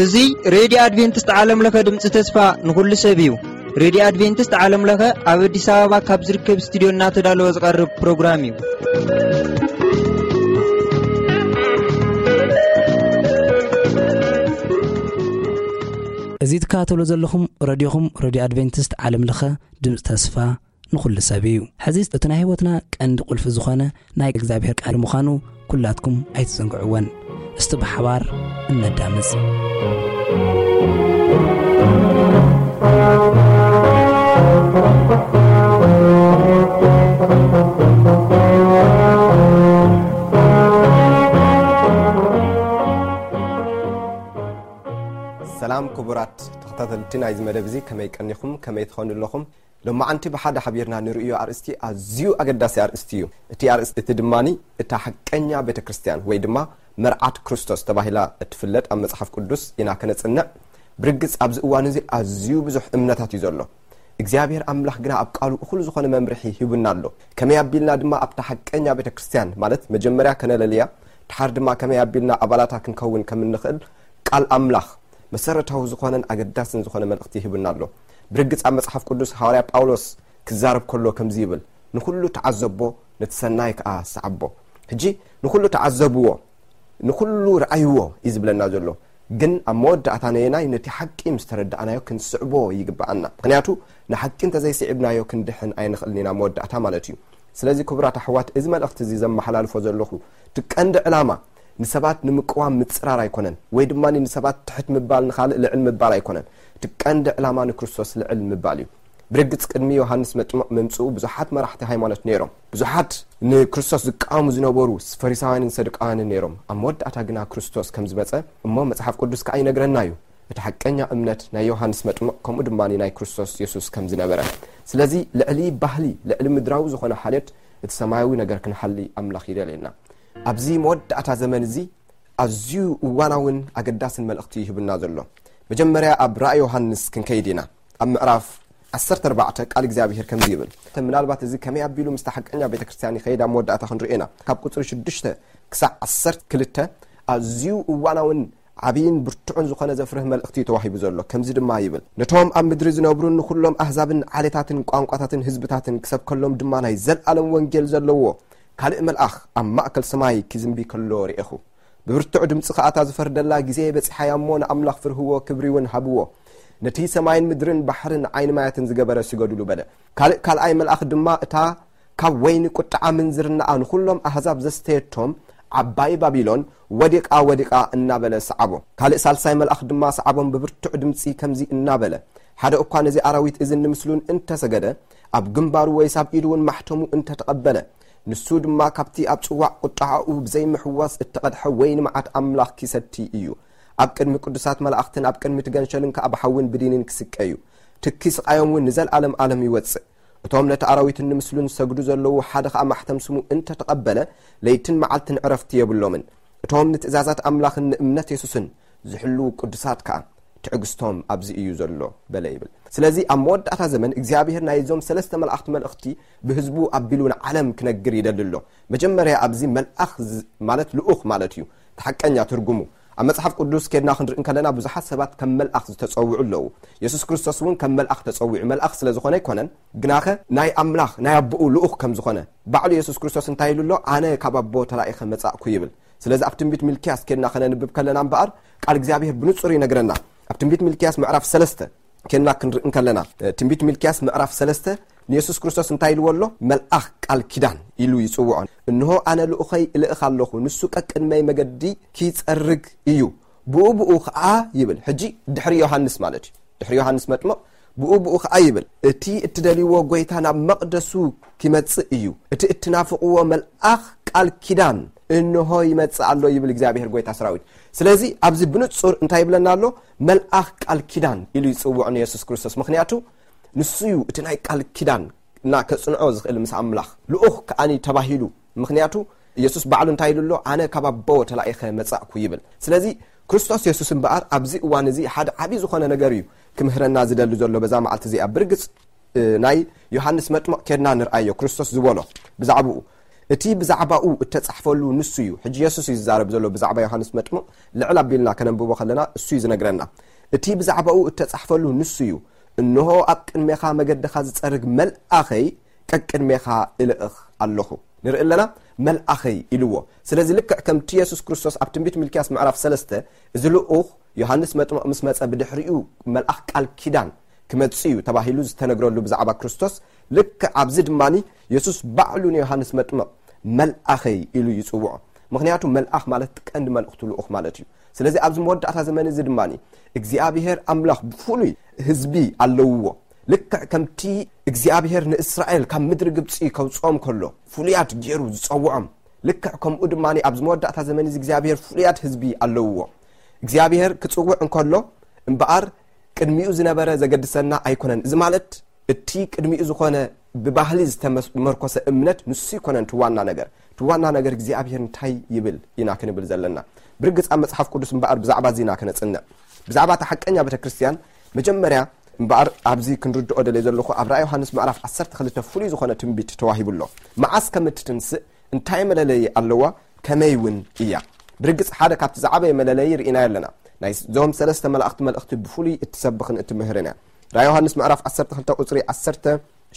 እዚ ሬድዮ ኣድቬንቲስት ዓለም ለኸ ድምፂ ተስፋ ንኹሉ ሰብ እዩ። ሬድዮ ኣድቬንቲስት ዓለም ለኸ ኣብ ኣዲስ ኣበባ ካብ ዝርከብ ስቱዲዮ እናተዳለወ ዝቐርብ ፕሮግራም እዩ። እዚ ትከታተሉ ዘለኹም ረድዮኹም ሬድዮ ኣድቬንቲስት ዓለም ለኸ ድምፂ ተስፋ ንኹሉ ሰብ እዩ። ሕዚ እቲ ናይ ህይወትና ቀንዲ ቁልፊ ዝኾነ ናይ እግዚኣብሔር ቃል ምዃኑ ኩላትኩም ኣይትዘንግዕወን። እስቲ ብሓባር እነዳምፅ። ሰላም ክቡራት ተኸታተልቲ ናይዚ መደብ እዚ፣ ከመይ ቀኒኹም? ከመይ ትኾኑ ኣለኹም? ሎማዓንቲ ብሓደ ሓቢርና ንርእዮ ኣርእስቲ ኣዝዩ ኣገዳሲ ኣርእስቲ እዩ። እቲ ኣርእስቲ እቲ ድማኒ እታ ሓቀኛ ቤተ ክርስቲያን ወይ ድማ መርዓት ክርስቶስ ተባሂላ እትፍለጥ ኣብ መጽሓፍ ቅዱስ ኢና ከነጽንዕ። ብርግጽ ኣብዚ እዋን እዚ ኣዝዩ ብዙሕ እምነታት እዩ ዘሎ። እግዚኣብሔር ኣምላኽ ግና ኣብ ቃሉ እኹል ዝኾነ መምርሒ ሂቡና ኣሎ። ከመይ ኣቢልና ድማ ኣብታ ሓቀኛ ቤተ ክርስቲያን ማለት መጀመርያ ከነለልያ፣ ድሓር ድማ ከመይ ኣቢልና ኣባላታ ክንከውን ከም እንኽእል ቃል ኣምላኽ መሰረታዊ ዝኾነን ኣገዳስን ዝኾነ መልእኽቲ ሂቡና ኣሎ። ብርግጽ ኣብ መጽሓፍ ቅዱስ ሃዋርያ ጳውሎስ ክዛረብ ከሎ ከምዚ ይብል፣ "ንኹሉ ተዓዘቦ፣ ነቲ ሰናይ ከኣ ሰዓቦ።" ሕጂ ንኹሉ ተዓዘብዎ፣ ንኹሉ ረኣይዎ እዩ ዝብለና ዘሎ። ግን ኣብ መወዳእታ ነየናይ ነቲ ሓቂ ምስ ተረዳእናዮ ክንስዕቦ ይግብኣና። ምኽንያቱ ንሓቂ እንተዘይስዒብናዮ ክንድሕን ኣይንኽእልን ኢና መወዳእታ ማለት እዩ። ስለዚ ክቡራት ኣሕዋት፣ እዚ መልእኽቲ እዚ ዘመሓላልፎ ዘለኹ እቲ ቀንዲ ዕላማ ንሰባት ንምቅዋም ምጽራር ኣይኮነን፣ ወይ ድማ ንሰባት ትሕት ምባል ንኻልእ ልዕል ምባል ኣይኮነን። እቲ ቀንዲ ዕላማ ንክርስቶስ ልዕል ምባል እዩ። ብርግጽ ቅድሚ ዮሃንስ መጥምቕ ምምጽኡ ብዙሓት መራሕቲ ሃይማኖት ነይሮም። ብዙሓት ንክርስቶስ ዝቃወሙ ዝነበሩ ፈሪሳውያንን ሰዱቃውያንን ነይሮም። ኣብ መወዳእታ ግና ክርስቶስ ከም ዝመጸ እሞ መጽሓፍ ቅዱስ ከኣ ይነግረና እዩ። እቲ ሓቀኛ እምነት ናይ ዮሃንስ መጥምቕ ከምኡ ድማ ናይ ክርስቶስ የሱስ ከም ዝነበረ። ስለዚ ልዕሊ ባህሊ፣ ልዕሊ ምድራዊ ዝኾነ ሓልዮት እቲ ሰማያዊ ነገር ክንሓሊ ኣምላኽ ይደልየና። ኣብዚ መወዳእታ ዘመን እዚ ኣዝዩ እዋናውን ኣገዳስን መልእኽቲ ይህብና ዘሎ። መጀመርያ ኣብ ራእይ ዮሃንስ ክንከይድ ኢና። ኣብ ምዕራፍ ዓሰርተ ኣርባዕተ ቃል እግዚኣብሔር ከምዚ ይብል። ምናልባት እዚ ከመይ ኣቢሉ ምስታ ሓቀኛ ቤተ ክርስቲያን ይኸይድ ኣብ መወዳእታ ክንርኢ ኢና። ካብ ቁጽሪ ሽዱሽተ ክሳዕ ዓሰርተ ክልተ ኣዝዩ እዋናውን ዓብይን ብርቱዕን ዝኾነ ዘፍርህ መልእኽቲ እዩ ተዋሂቡ ዘሎ። ከምዚ ድማ ይብል፣ "ነቶም ኣብ ምድሪ ዝነብሩን ንኹሎም ኣህዛብን ዓሌታትን ቋንቋታትን ህዝብታትን ክሰብከሎም ድማ ናይ ዘለኣለም ወንጌል ዘለዎ ካልእ መልኣኽ ኣብ ማእከል ሰማይ ክዝንቢ ከሎ ርኤኹ። ብብርቱዕ ድምጺ ከኣ እታ ዝፈርደላ ግዜ በጺሓ እያ እሞ ንኣምላኽ ፍርህዎ፣ ክብሪ እውን ሃብዎ። ነቲ ሰማይን ምድርን ባሕርን ዓይኒ ማያትን ዝገበረ ስገዱሉ" በለ። ካልእ ካልኣይ መልኣኽ ድማ እታ ካብ ወይኒ ቁጥዓ ምንዝርናኣ ንኹሎም ኣህዛብ ዘስተየቶም ዓባይ ባቢሎን ወዲቓ፣ ወዲቓ እናበለ ሰዓቦ። ካልእ ሳልሳይ መልኣኽ ድማ ሰዓቦም ብብርቱዕ ድምጺ ከምዚ እናበለ፣ ሓደ እኳ ነዚ ኣራዊት እዝን ንምስሉን እንተሰገደ፣ ኣብ ግንባሩ ወይስ ኣብ ኢዱ እውን ማሕተሙ እንተተቐበለ፣ ንሱ ድማ ካብቲ ኣብ ጽዋዕ ቁጥዓኡ ብዘይምሕዋስ እተቐድሐ ወይኒ መዓት ኣምላኽ ኪሰቲ እዩ። ኣብ ቅድሚ ቅዱሳት መላእኽትን ኣብ ቅድሚ እቲ ገንሸልን ከኣ ብሓውን ብዲንን ክስቀ እዩ። ትኪ ስቓዮም እውን ንዘለኣለም ኣለም ይወጽእ። እቶም ነቲ ኣራዊትን ንምስሉን ዝሰግዱ ዘለዉ ሓደ ኸኣ ማሕተም ስሙ እንተ ተቐበለ፣ ለይትን መዓልትን ዕረፍቲ የብሎምን። እቶም ንትእዛዛት ኣምላኽን ንእምነት የሱስን ዝሕልዉ ቅዱሳት ከኣ ትዕግስቶም ኣብዚ እዩ ዘሎ በለ ይብል። ስለዚ ኣብ መወዳእታ ዘመን እግዚኣብሔር ናይዞም ሰለስተ መላእኽቲ መልእኽቲ ብህዝቡ ኣቢሉ ንዓለም ክነግር ይደሊ ኣሎ። መጀመርያ ኣብዚ መልኣኽ ዝ-፣ ማለት ልኡኽ ማለት እዩ። እቲ ሓቀኛ ትርጉሙ ኣብ መጽሓፍ ቅዱስ ኬድና ክንርኢ እንከለና ብዙሓት ሰባት ከም መልኣኽ ዝተጸውዑ ኣለዉ። የሱስ ክርስቶስ እውን ከም መልኣኽ ተጸዊዑ። መልኣኽ ስለ ዝኾነ ኣይኮነን፣ ግናኸ ናይ ኣምላኽ ናይ ኣቦኡ ልኡኽ ከም ዝኾነ ባዕሉ የሱስ ክርስቶስ እንታይ ኢሉ ኣሎ? "ኣነ ካብ ኣቦ ተላኢኸ መጻእኩ" ይብል። ስለዚ ኣብ ትንቢት ሚልክያስ ኬድና ከነንብብ ከለና እምበኣር ቃል እግዚኣብሔር ብንጹር ይነግረና። ኣብ ትንቢት ሚልክያስ ምዕራፍ ሰለስተ ኬድና ክንርኢ እንከለና፣ እ፣ ትንቢት ሚልክያስ ምዕራፍ ሰለስተ ንየሱስ ክርስቶስ እንታይ ኢልዎ ኣሎ? "መልኣኽ ቃል ኪዳን" ኢሉ ይጽውዖ። "እንሆ ኣነ ልኡኸይ እልእኽ ኣለኹ፣ ንሱ ቀቅድመይ መገዲ ኪጸርግ እዩ። ብኡ ብኡ ኸኣ" ይብል። ሕጂ ድሕሪ ዮሃንስ ማለት እዩ። ድሕሪ ዮሃንስ መጥምቕ ብኡ ብኡ ኸኣ ይብል፣ "እቲ እትደልይዎ ጐይታ ናብ መቕደሱ ኪመጽእ እዩ። እቲ እትናፍቕዎ መልኣኽ ቃል ኪዳን እንሆ ይመጽእ ኣሎ" ይብል እግዚኣብሔር ጐይታ ሰራዊት። ስለዚ ኣብዚ ብንጹር እንታይ ይብለና ኣሎ? "መልኣኽ ቃል ኪዳን" ኢሉ ይጽውዖ ንየሱስ ክርስቶስ። ምኽንያቱ ንሱ እዩ እቲ ናይ ቃል ኪዳን እና ከጽንዖ ዝኽእል ምስ ኣምላኽ። ልኡኽ ከኣኒ ተባሂሉ። ምኽንያቱ የሱስ ባዕሉ እንታይ ኢሉ ኣሎ? "ኣነ ካብ ኣቦ ተላኢኸ መጻእኩ" ይብል። ስለዚ ክርስቶስ የሱስ እምበኣር ኣብዚ እዋን እዚ ሓደ ዓቢ ዝኾነ ነገር እዩ ክምህረና ዝደሊ ዘሎ በዛ መዓልቲ እዚኣ። ብርግጽ እ፣ ናይ ዮሃንስ መጥምቕ ኬድና ንርኣዮ፣ ክርስቶስ ዝበሎ ብዛዕባኡ። እቲ ብዛዕባኡ እተጻሕፈሉ ንሱ እዩ። ሕጂ የሱስ እዩ ዝዛረብ ዘሎ ብዛዕባ ዮሃንስ መጥምቕ። ልዕል ኣቢልና ከነንብቦ ከለና እሱ እዩ ዝነግረና። እቲ ብዛዕባኡ እተጻሕፈሉ ንሱ እዩ። "እንሆ ኣብ ቅድሜኻ መገድኻ ዝጸርግ መልኣኸይ ቀቅድሜኻ እልእኽ ኣለኹ።" ንርኢ ኣለና፣ "መልኣኸይ" ኢልዎ። ስለዚ ልክዕ ከምቲ የሱስ ክርስቶስ ኣብ ትንቢት ሚልክያስ ምዕራፍ ሰለስተ፣ እዚ ልኡኽ ዮሃንስ መጥምቕ ምስ መጸ ብድሕሪኡ መልኣኽ ቃል ኪዳን ክመጽእ እዩ ተባሂሉ ዝተነግረሉ ብዛዕባ ክርስቶስ፣ ልክዕ ኣብዚ ድማኒ የሱስ ባዕሉ ንዮሃንስ መጥምቕ "መልኣኸይ" ኢሉ ይጽውዖ። ምኽንያቱ መልኣኽ ማለት ቀንዲ መልእኽቱ ልኡኽ ማለት እዩ። ስለዚ ኣብዚ መወዳእታ ዘመን እዚ ድማኒ እግዚኣብሔር ኣምላኽ ብፍሉይ ህዝቢ ኣለውዎ። ልክዕ ከምቲ እግዚኣብሔር ንእስራኤል ካብ ምድሪ ግብጺ ከውጽኦም ከሎ ፍሉያት ገይሩ ዝጸውዖም፣ ልክዕ ከምኡ ድማኒ ኣብዚ መወዳእታ ዘመን እዚ እግዚኣብሔር ፍሉያት ህዝቢ ኣለውዎ። እግዚኣብሔር ክጽውዕ እንከሎ እምበኣር ቅድሚኡ ዝነበረ ዘገድሰና ኣይኮነን። እዚ ማለት እቲ ቅድሚኡ ዝኾነ ብባህሊ ዝተመርኮሰ እምነት ንሱ ኣይኮነን እቲ ዋና ነገር። እቲ ዋና ነገር እግዚኣብሔር እንታይ ይብል ኢና ክንብል ዘለና። ብርግጽ ኣብ መጽሓፍ ቅዱስ እምበኣር ብዛዕባ እዚ ኢና ክነጽንዕ። ብዛዕባ እታ ሓቀኛ ቤተ ክርስቲያን መጀመርያ እምበኣር ኣብዚ ክንርድኦ ደልየ ዘለኹ ኣብ ራእይ ዮሃንስ ምዕራፍ ዓሰርተ ክልተ ፍሉይ ዝኾነ ትንቢት ተዋሂቡ ኣሎ። መዓስ ከም እትትንስእ እንታይ መለለዪ ኣለዋ? ከመይ እውን እያ? ብርግጽ ሓደ ካብቲ ዝዓበየ መለለዪ ርኢናዮ ኣለና። ናይ ዞም ሰለስተ መላእኽቲ መልእኽቲ ብፍሉይ እትሰብኽን እትምህርን እያ። ራእይ ዮሃንስ ምዕራፍ ዓሰርተ ክልተ ቁጽሪ ዓሰርተ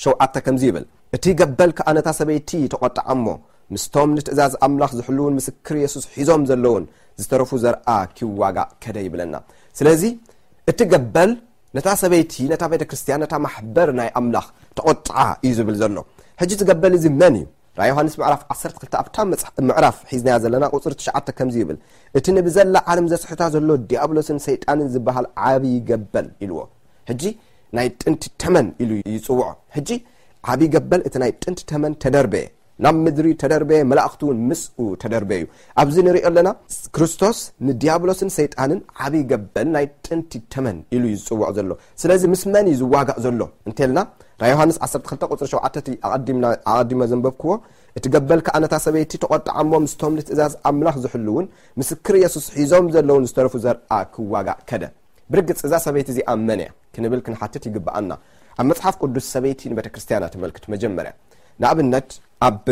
ሸውዓተ ከምዚ ይብል፣ "እቲ ገበል ከኣ ነታ ሰበይቲ ተቖጥዓ እሞ፣ ምስቶም ንትእዛዝ ኣምላኽ ዝሕልውን ምስክር የሱስ ሒዞም ዘለውን ዝተረፉ ዘርኣ ኪዋጋእ ከደ" ይብለና። ስለዚ እቲ ገበል ነታ ሰበይቲ፣ ነታ ቤተ ክርስቲያን፣ ነታ ማሕበር ናይ ኣምላኽ ተቖጥዓ እዩ ዝብል ዘሎ። ሕጂ እቲ ገበል እዚ መን እዩ? ራእይ ዮሃንስ ምዕራፍ ዓሰርተ ክልተ ኣብታ መጽሓ-፣ ምዕራፍ ሒዝናያ ዘለና ቁጽሪ ትሽዓተ ከምዚ ይብል፣ "እቲ ንብዘላ ዓለም ዘስሕታ ዘሎ ዲያብሎስን ሰይጣንን ዝበሃል ዓቢ ገበል" ኢልዎ። ሕጂ ናይ ጥንቲ ተመን ኢሉ ይጽውዖ። ሕጂ ዓቢ ገበል እቲ ናይ ጥንቲ ተመን ተደርበየ፣ ናብ ምድሪ ተደርበየ፣ መላእኽቱ እውን ምስኡ ተደርበዩ። ኣብዚ ንሪኦ ኣለና ክርስቶስ ንዲያብሎስን ሰይጣንን ዓቢ ገበል ናይ ጥንቲ ተመን ኢሉ እዩ ዝጽውዖ ዘሎ። ስለዚ ምስ መን እዩ ዝዋጋእ ዘሎ እንተልና ራእይ ዮሃንስ ዓሰርተ ክልተ ቁጽሪ ሸውዓተ እቲ ኣቐዲምና-፣ ኣቐዲመ ዘንበብክዎ፣ "እቲ ገበል ከኣ ነታ ሰበይቲ ተቖጥዓ እሞ ምስቶም ንትእዛዝ ኣምላኽ ዝሕልውን ምስክር የሱስ ሒዞም ዘለውን ዝተረፉ ዘርኣ ክዋጋእ ከደ።" ብርግጽ እዛ ሰበይቲ እዚኣ መን እያ? ክንብል ክንሓትት ይግብኣና። ኣብ መጽሓፍ ቅዱስ ሰበይቲ ንቤተ ክርስቲያና ተመልክት መጀመርያ። ንኣብነት ኣብ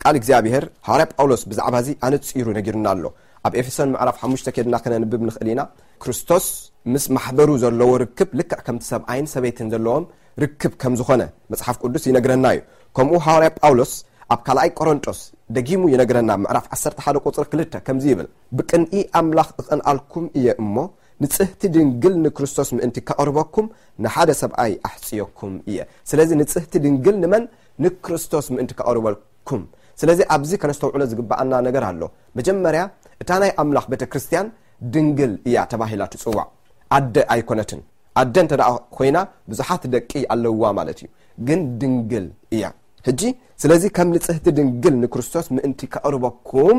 ቃል እግዚኣብሔር ሃዋርያ ጳውሎስ ብዛዕባ እዚ ኣነጺሩ ነጊርና ኣሎ። ኣብ ኤፌሶን ምዕራፍ ሓሙሽተ ኬድና ከነንብብ ንኽእል ኢና። ክርስቶስ ምስ ማሕበሩ ዘለዎ ርክብ ልክዕ ከምቲ ሰብኣይን ሰበይትን ዘለዎም ርክብ ከም ዝኾነ መጽሓፍ ቅዱስ ይነግረና እዩ። ከምኡ ሃዋርያ ጳውሎስ ኣብ ካልኣይ ቆሮንጦስ ደጊሙ ይነግረና። ምዕራፍ ዓሰርተ ሓደ ቁጽሪ ክልተ ከምዚ ይብል፣ "ብቅንኢ ኣምላኽ እቐንኣልኩም እየ እሞ፣ ንጽህቲ ድንግል ንክርስቶስ ምእንቲ ከቕርበኩም ንሓደ ሰብኣይ ኣሕጽየኩም እየ።" ስለዚ ንጽህቲ ድንግል ንመን? ንክርስቶስ ምእንቲ ከቕርበልኩም። ስለዚ ኣብዚ ከነስተውዕሎ ዝግብኣና ነገር ኣሎ። መጀመርያ እታ ናይ ኣምላኽ ቤተ ክርስቲያን ድንግል እያ ተባሂላ ትጽዋዕ። ኣደ ኣይኮነትን። ኣደ እንተ ደኣ ኮይና ብዙሓት ደቂ ኣለውዋ ማለት እዩ። ግን ድንግል እያ። ሕጂ ስለዚ ከም ንጽህቲ ድንግል ንክርስቶስ ምእንቲ ከቕርበኩም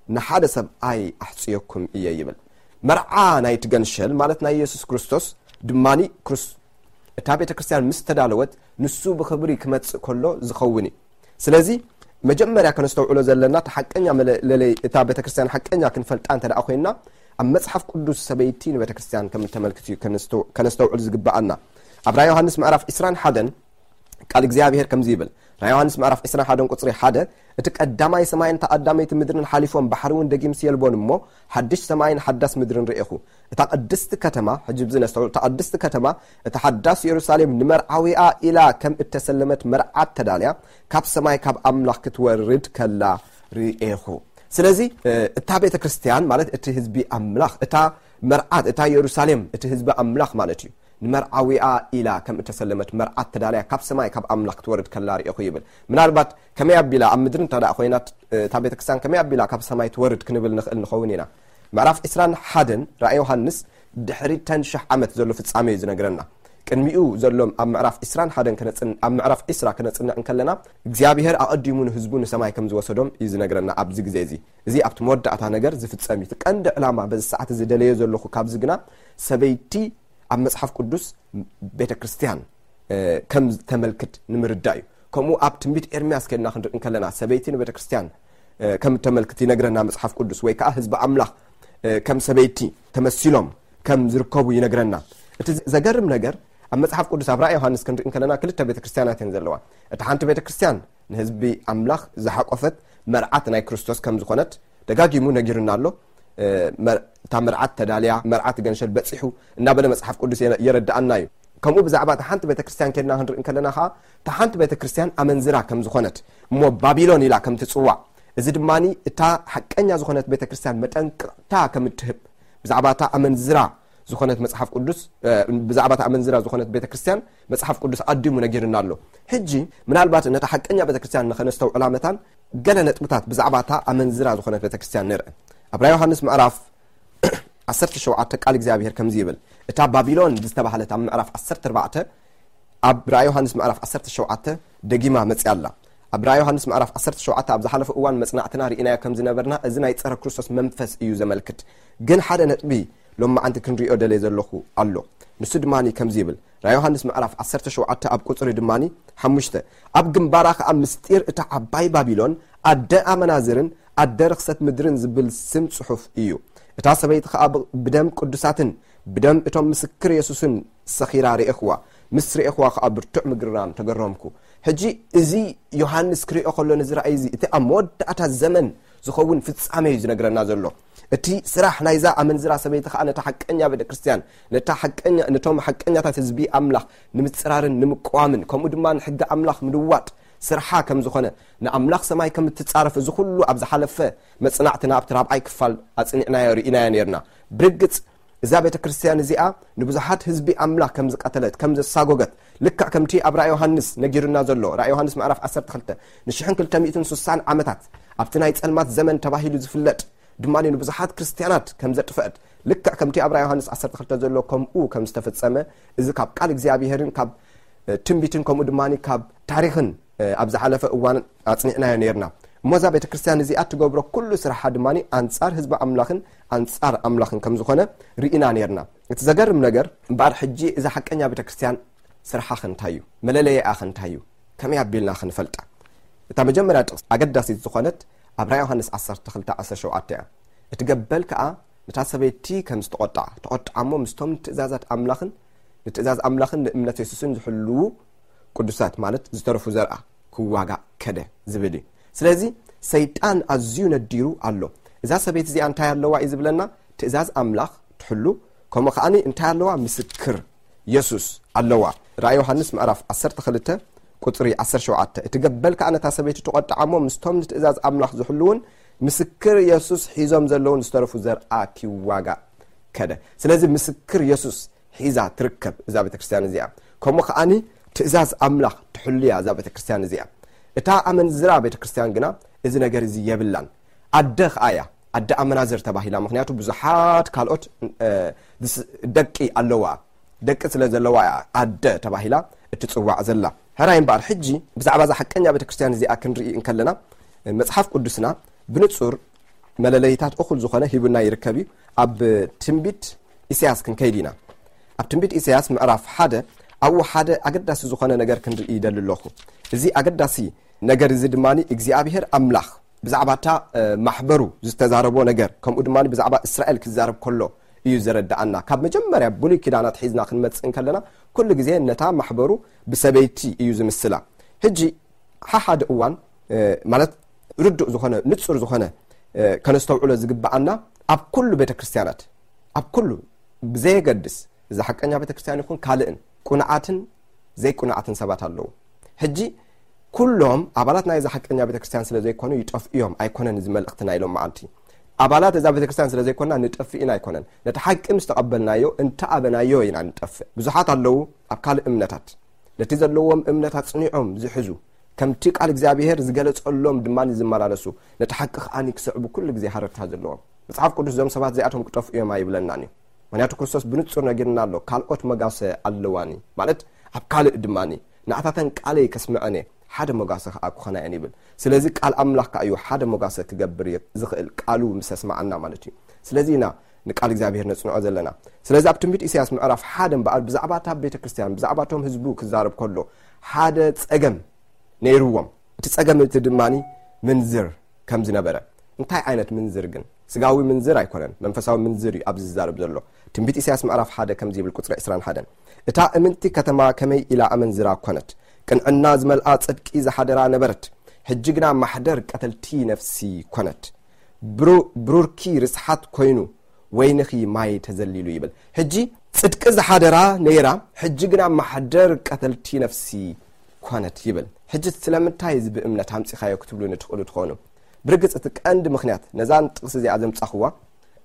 ንሓደ ሰብኣይ ኣሕጽየኩም እየ ይብል። መርዓ ናይቲ ገንሸል ማለት ናይ የሱስ ክርስቶስ ድማኒ ክርስ-፣ እታ ቤተ ክርስቲያን ምስ ተዳለወት ንሱ ብኽብሪ ክመጽእ ከሎ ዝኸውን እዩ። ስለዚ መጀመርያ ከነስተውዕሎ ዘለና እቲ ሓቀኛ መለለይ እታ ቤተ ክርስቲያን ሓቀኛ ክንፈልጣ እንተ ደኣ ኮይንና ኣብ መጽሓፍ ቅዱስ ሰበይቲ ንቤተ ክርስቲያን ከም እተመልክት እዩ ከነስተው-፣ ከነስተውዕል ዝግብኣና። ኣብ ራእይ ዮሃንስ ምዕራፍ ዕስራን ሓደን ቃል እግዚኣብሔር ከምዚ ይብል። ራእይ ዮሃንስ ምዕራፍ ዕስራን ሓደን ቁጽሪ ሓደ፣ "እቲ ቀዳማይ ሰማይን እታ ቀዳመይቲ ምድርን ሓሊፎም ባሕሪ እውን ደጊም ስየልቦን እሞ ሓድሽ ሰማይን ሓዳስ ምድርን ርኤኹ። እታ ቅድስቲ ከተማ"፣ ሕጂ ብዚ ነስተውዕል፣ "እታ ቅድስቲ ከተማ፣ እታ ሓዳስ የሩሳሌም ንመርዓዊኣ ኢላ ከም እተሰለመት መርዓት ተዳልያ ካብ ሰማይ ካብ ኣምላኽ ክትወርድ ከላ ርኤኹ።" ስለዚ፣ እ፣ እታ ቤተ ክርስቲያን ማለት እቲ ህዝቢ ኣምላኽ፣ እታ መርዓት፣ እታ የሩሳሌም፣ እቲ ህዝቢ ኣምላኽ ማለት እዩ። ንመርዓዊኣ ኢላ ከም እተሰለመት መርዓት ተዳልያ ካብ ሰማይ ካብ ኣምላኽ ክትወርድ ከላ ርኤኹ ይብል። ምናልባት ከመይ ኣቢላ ኣብ ምድሪ እንተ ደኣ ኮይና እታ ቤተክርስትያን ከመይ ኣቢላ ካብ ሰማይ ትወርድ ክንብል ንኽእል ንኸውን ኢና። ምዕራፍ ዕስራን ሓደን ራእይ ዮሃንስ ድሕሪ እተን ሽሕ ዓመት ዘሎ ፍጻሜ እዩ ዝነግረና። ቅድሚኡ ዘሎ ኣብ ምዕራፍ ዕስራን ሓደን ክነጽን-፣ ኣብ ምዕራፍ ዕስራ ክነጽንዕ እንከለና እግዚኣብሔር ኣቐዲሙ ንህዝቡ ንሰማይ ከም ዝወሰዶም እዩ ዝነግረና ኣብዚ ግዜ እዚ። እዚ ኣብቲ መወዳእታ ነገር ዝፍጸም እዩ። እቲ ቀንዲ ዕላማ በዚ ሰዓት እዚ ደለዮ ዘለኹ ካብዚ ግና ሰበይቲ ኣብ መጽሓፍ ቅዱስ ቤተ ክርስቲያን፣ እ፣ ከም ዝተመልክት ንምርዳእ እዩ። ከምኡ ኣብ ትንቢት ኤርምያስ ከድና ክንርኢ እንከለና ሰበይቲ ንቤተ ክርስቲያን፣ እ፣ ከም እተመልክት ይነግረና መጽሓፍ ቅዱስ፣ ወይ ከኣ ህዝቢ ኣምላኽ፣ እ፣ ከም ሰበይቲ ተመሲሎም ከም ዝርከቡ ይነግረና። እቲ ዘገርም ነገር ኣብ መጽሓፍ ቅዱስ ኣብ ራእይ ዮሃንስ ክንርኢ እንከለና ክልተ ቤተክርስትያናት እየን ዘለዋ። እታ ሓንቲ ቤተክርስትያን ንህዝቢ ኣምላኽ ዝሓቆፈት መርዓት ናይ ክርስቶስ ከም ዝኾነት ደጋጊሙ ነጊሩና ኣሎ። እታ መርዓት ተዳልያ፣ መርዓት ገንሸል በጺሑ እናበለ መጽሓፍ ቅዱስ የረድኣና እዩ። ከምኡ ብዛዕባ እታ ሓንቲ ቤተክርስትያን ከድና ክንርኢ እንከለና ከዓ እታ ሓንቲ ቤተክርስትያን ኣመንዝራ ከም ዝኾነት እሞ ባቢሎን ኢላ ከም ትጽዋዕ፣ እዚ ድማ እታ ሓቀኛ ዝኾነት ቤተክርስትያን መጠንቅቕታ ከም እትህብ፣ ብዛዕባ እታ ኣመንዝራ ዝኾነት መጽሓፍ ቅዱስ ብዛዕባ እታ ኣመንዝራ ዝኾነት ቤተክርስትያን መጽሓፍ ቅዱስ ኣዲሙ ነጊርና ኣሎ። ሕጂ ምናልባት ነታ ሓቀኛ ቤተክርስትያን ንኸነስተውዕላ መታን ገለ ነጥብታት ብዛዕባ እታ ኣመንዝራ ዝኾነት ቤተክርስትያን ንርአ። ኣብ ራእይ ዮሃንስ ምዕራፍ ዓሰርተ ሸውዓተ ቃል እግዚኣብሔር ከምዚ ይብል። እታ ባቢሎን ዝተባህለት ኣብ ምዕራፍ ዓሰርተ ኣርባዕተ፣ ኣብ ራእይ ዮሃንስ ምዕራፍ ዓሰርተ ሸውዓተ ደጊማ መጽያ ኣላ። ኣብ ራእይ ዮሃንስ ምዕራፍ ዓሰርተ ሸውዓተ ኣብ ዝሓለፈ እዋን መጽናዕትና ርኢናዮ ከም ዝነበርና፣ እዚ ናይ ጸረ ክርስቶስ መንፈስ እዩ ዘመልክት። ግን ሓደ ነጥቢ ሎማዓንቲ ክንሪኦ ደልየ ዘለኹ ኣሎ። ንሱ ድማ ከምዚ ይብል። ራእይ ዮሃንስ ምዕራፍ ዓሰርተ ሸውዓተ ኣብ ቁጽሪ ድማ ሓሙሽተ፣ ኣብ ግንባራ ከኣ ምስጢር እታ ዓባይ ባቢሎን ኣደ ኣመናዝርን ኣደ ርኽሰት ምድርን ዝብል ስም ጽሑፍ እዩ። እታ ሰበይቲ ከኣ ብደም ቅዱሳትን ብደም እቶም ምስክር የሱስን ሰኺራ ርኤኽዋ። ምስ ርኤኽዋ ከኣ ብርቱዕ ምግርራም ተገረምኩ። ሕጂ እዚ ዮሃንስ ክሪኦ ከሎ፣ ነዚ ራእይ እዚ፣ እቲ ኣብ መወዳእታ ዘመን ዝኸውን ፍጻሜ እዩ ዝነግረና ዘሎ። እቲ ስራሕ ናይዛ ኣመንዝራ ሰበይቲ ከኣ ነታ ሓቀኛ ቤተክርስትያን፣ ነታ ሓቀኛ፣ ነቶም ሓቀኛታት ህዝቢ ኣምላኽ ንምጽራርን ንምቅዋምን፣ ከምኡ ድማ ንሕጊ ኣምላኽ ምልዋጥ ስርሓ ከም ዝኾነ፣ ንኣምላኽ ሰማይ ከም እትጻረፍ፣ እዚ ኩሉ ኣብ ዝሓለፈ መጽናዕትና ኣብቲ ራብዓይ ክፋል ኣጽኒዕናዮ ርኢናዮ ነርና። ብርግጽ እዛ ቤተክርስትያን እዚኣ ንብዙሓት ህዝቢ ኣምላኽ ከም ዝቀተለት፣ ከም ዘሳጎገት፣ ልክዕ ከምቲ ኣብ ራእይ ዮሃንስ ነጊሩና ዘሎ፣ ራእይ ዮሃንስ ምዕራፍ ዓሰርተ ክልተ፣ ንሽሕን ክልተ ሚእትን ስሳን ዓመታት ኣብቲ ናይ ጸልማት ዘመን ተባሂሉ ዝፍለጥ ድማ ንብዙሓት ክርስትያናት ከም ዘጥፈአት፣ ልክዕ ከምቲ ኣብ ራእይ ዮሃንስ ዓሰርተ ክልተ ዘሎ ከምኡ ከም ዝተፈጸመ፣ እዚ ካብ ቃል እግዚኣብሔርን ካብ ትንቢትን ከምኡ ድማ ካብ ታሪኽን ኣብ ዝሓለፈ እዋን ኣጽኒዕናዮ ነርና። እሞ እዛ ቤተክርስትያን እዚኣ ትገብሮ ኩሉ ስርሓ ድማ ኣንጻር ህዝቢ ኣምላኽን ኣንጻር ኣምላኽን ከም ዝኾነ ርኢና ነርና። እቲ ዘገርም ነገር እምበኣር፣ ሕጂ እዛ ሓቀኛ ቤተክርስትያን ስርሓ ከ እንታይ እዩ? መለለይኣ ከ እንታይ እዩ? ከመይ ኣቢልና ክንፈልጣ? እታ መጀመርያ ጥቕሲ ኣገዳሲት ዝኾነት ኣብ ራእይ ዮሃንስ ዓሰርተ ክልተ ዓሰርተ ሸውዓተ እያ። እቲ ገበል ከኣ ነታ ሰበይቲ ከም ዝተቖጥዓ፣ ተቖጥዓ እሞ ምስቶም ንትእዛዛት ኣምላኽን ንትእዛዝ ኣምላኽን ንእምነት የሱስን ዝሕልዉ ቅዱሳት፣ ማለት ዝተረፉ ዘርኣ ክዋጋእ ከደ ዝብል እዩ። ስለዚ ሰይጣን ኣዝዩ ነዲሩ ኣሎ። እዛ ሰበይቲ እዚኣ እንታይ ኣለዋ እዩ ዝብለና? ትእዛዝ ኣምላኽ ትሕሉ፣ ከምኡ ከኣኒ እንታይ ኣለዋ? ምስክር የሱስ ኣለዋ። ራእይ ዮሃንስ ምዕራፍ ዓሰርተ ክልተ ቁጽሪ ዓሰርተ ሸውዓተ፣ እቲ ገበል ከኣ ነታ ሰበይቲ ተቖጥዓ እሞ ምስቶም ንትእዛዝ ኣምላኽ ዝሕልውን ምስክር የሱስ ሒዞም ዘለውን ዝተረፉ ዘርኣ ኪዋጋእ ከደ። ስለዚ ምስክር የሱስ ሒዛ ትርከብ እዛ ቤተክርስትያን እዚኣ። ከምኡ ከኣኒ ትእዛዝ ኣምላኽ ትሕሉ እያ እዛ ቤተክርስትያን እዚኣ። እታ ኣመንዝራ ቤተክርስትያን ግና እዚ ነገር እዚ የብላን። ኣደ ከኣ እያ፣ ኣደ ኣመናዝር ተባሂላ። ምኽንያቱ ብዙሓት ካልኦት፣ እ፣ ዝስ-፣ ደቂ ኣለዋ። ደቂ ስለ ዘለዋ እያ ኣደ ተባሂላ እትጽዋዕ ዘላ። ሕራይ እምበኣር፣ ሕጂ ብዛዕባ እዛ ሓቀኛ ቤተክርስትያን እዚኣ ክንርኢ እንከለና፣ መጽሓፍ ቅዱስና ብንጹር መለለይታት እኹል ዝኾነ ሂቡና ይርከብ እዩ። ኣብ ትንቢት ኢሳያስ ክንከይድ ኢና። ኣብ ትንቢት ኢሳያስ ምዕራፍ ሓደ፣ ኣብኡ ሓደ ኣገዳሲ ዝኾነ ነገር ክንርኢ ይደሊ ኣለኹ። እዚ ኣገዳሲ ነገር እዚ ድማ እግዚኣብሔር ኣምላኽ ብዛዕባ እታ፣ እ፣ ማሕበሩ ዝተዛረቦ ነገር፣ ከምኡ ድማ ብዛዕባ እስራኤል ክዛረብ ከሎ እዩ ዘረድኣና። ካብ መጀመርያ ብሉይ ኪዳን ኣትሒዝና ክንመጽእ እንከለና፣ ኩሉ ግዜ ነታ ማሕበሩ ብሰበይቲ እዩ ዝምስላ። ሕጂ ሓሓደ እዋን፣ እ፣ ማለት ርዱእ ዝኾነ፣ ንጹር ዝኾነ፣ እ፣ ከነስተውዕሎ ዝግብኣና፣ ኣብ ኩሉ ቤተክርስትያናት፣ ኣብ ኩሉ ብዘየገድስ፣ እዛ ሓቀኛ ቤተክርስትያን ይኹን ካልእን፣ ቁኑዓትን ዘይቁኑዓትን ሰባት ኣለዉ። ሕጂ ኩሎም ኣባላት ናይዛ ሓቀኛ ቤተክርስትያን ስለ ዘይኮኑ ይጠፍኡ እዮም፣ ኣይኮነን እዚ መልእኽቲ ናይ ሎም መዓልቲ። ኣባላት እዛ ቤተክርስትያን ስለ ዘይኮና ንጠፍእ ኢና ኣይኮነን። ነቲ ሓቂ ምስ ተቐበልናዮ፣ እንተ ኣበናዮ ኢና ንጠፍእ። ብዙሓት ኣለዉ ኣብ ካልእ እምነታት፣ ነቲ ዘለዎም እምነት ኣጽኒዖም ዝሕዙ፣ ከምቲ ቃል እግዚኣብሔር ዝገለጸሎም ድማ ዝመላለሱ፣ ነቲ ሓቂ ከኣኒ ክስዕቡ ኩሉ ግዜ ሃረርታ ዘለዎም። መጽሓፍ ቅዱስ እዞም ሰባት እዚኣቶም ክጠፍኡ እዮም ኣይብለናን እዩ። ምኽንያቱ ክርስቶስ ብንጹር ነጊርና ኣሎ፣ ካልኦት መጋሰ ኣለዋኒ፣ ማለት ኣብ ካልእ ድማኒ፣ ንኣታተን ቃለይ ከስምዐን እየ፣ ሓደ መጋሰ ከኣ ክኾና እየን ይብል። ስለዚ ቃል ኣምላኽ ከኣ እዩ ሓደ መጋሰ ክገብር የ-፣ ዝኽእል፣ ቃሉ ምስ ኣስመዓና ማለት እዩ። ስለዚ ኢና ንቃል እግዚኣብሔር ነጽንዖ ዘለና። ስለዚ ኣብ ትንቢት ኢሳያስ ምዕራፍ ሓደ እምበኣር ብዛዕባ እታ ቤተ ክርስቲያን፣ ብዛዕባ እቶም ህዝቡ ክዛረብ ከሎ ሓደ ጸገም ነይርዎም። እቲ ጸገም እቲ ድማኒ ምንዝር ከም ዝነበረ። እንታይ ዓይነት ምንዝር ግን? ስጋዊ ምንዝር ኣይኮነን፣ መንፈሳዊ ምንዝር እዩ ኣብዚ ዝዛረብ ዘሎ። ትንቢት ኢሳያስ ምዕራፍ ሓደ ከምዚ ይብል፣ ቁጽሪ ዕስራን ሓደን፣ "እታ እምንቲ ከተማ ከመይ ኢላ ኣመንዝራ ኮነት! ቅንዕና ዝመልኣ ጽድቂ ዝሓደራ ነበረት፣ ሕጂ ግና ማሕደር ቀተልቲ ነፍሲ ኮነት። ብሩ-፣ ብሩርኪ ርስሓት ኮይኑ፣ ወይንኺ ማይ ተዘሊሉ" ይብል። ሕጂ ጽድቂ ዝሓደራ ነይራ፣ ሕጂ ግና ማሕደር ቀተልቲ ነፍሲ ኮነት ይብል። ሕጂ ስለምንታይ እዚ ብእምነት ኣምጺኻዮ ክትብሉኒ ትኽእሉ ትኾኑ። ብርግጽ እቲ ቀንዲ ምኽንያት ነዛን ጥቕሲ እዚኣ ዘምጻኽዋ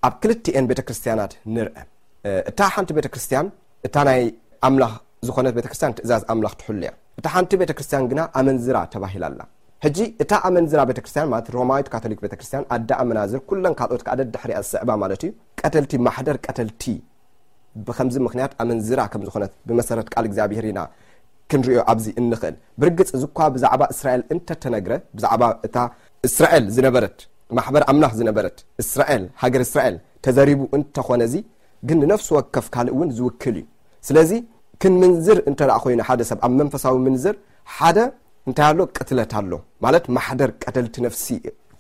ኣብ ክልቲኤን ቤተክርስትያናት ንርአ። እ፣ እታ ሓንቲ ቤተክርስትያን፣ እታ ናይ ኣምላኽ ዝኾነት ቤተክርስትያን ትእዛዝ ኣምላኽ ትሕሉ እያ። እታ ሓንቲ ቤተክርስትያን ግና ኣመንዝራ ተባሂላ ኣላ። ሕጂ እታ ኣመንዝራ ቤተክርስትያን ማለት ሮማዊት ካቶሊክ ቤተክርስትያን፣ ኣደ ኣመናዝር፣ ኩለን ካልኦት ከኣ ደድሕሪኣ ዝስዕባ ማለት እዩ። ቀተልቲ፣ ማሕደር ቀተልቲ ብኸምዚ ምኽንያት ኣመንዝራ ከም ዝኾነት ብመሰረት ቃል እግዚኣብሔር ኢና ክንሪኦ ኣብዚ እንኽእል። ብርግጽ እዚ እኳ ብዛዕባ እስራኤል እንተተነግረ፣ ብዛዕባ እታ እስራኤል ዝነበረት፣ ማሕበር ኣምላኽ ዝነበረት እስራኤል፣ ሃገር እስራኤል ተዘሪቡ እንተኾነ፣ እዚ ግን ንነፍሲ ወከፍ ካልእ እውን ዝውክል እዩ። ስለዚ ክንምንዝር እንተ ደኣ ኮይኑ ሓደ ሰብ ኣብ መንፈሳዊ ምንዝር ሓደ እንታይ ኣሎ? ቅትለት ኣሎ። ማለት ማሕደር ቀተልቲ ነፍሲ